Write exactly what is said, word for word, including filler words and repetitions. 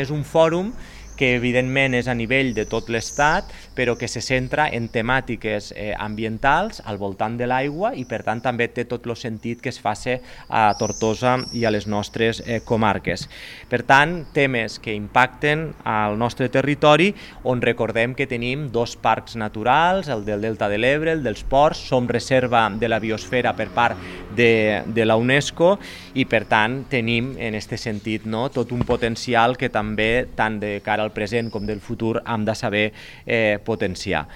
És un fòrum que evidentment és a nivell de tot l'Estat, però que se centra en temàtiques eh, ambientals al voltant de l'aigua i per tant també té tot el sentit que es faci a Tortosa i a les nostres eh, comarques. Per tant, temes que impacten al nostre territori, on recordem que tenim dos parcs naturals, el del Delta de l'Ebre, el dels Ports, som reserva de la biosfera per part de, de la UNESCO i per tant tenim en aquest sentit no, tot un potencial que també tant de cara al present com del futur hem de saber eh, potenciar.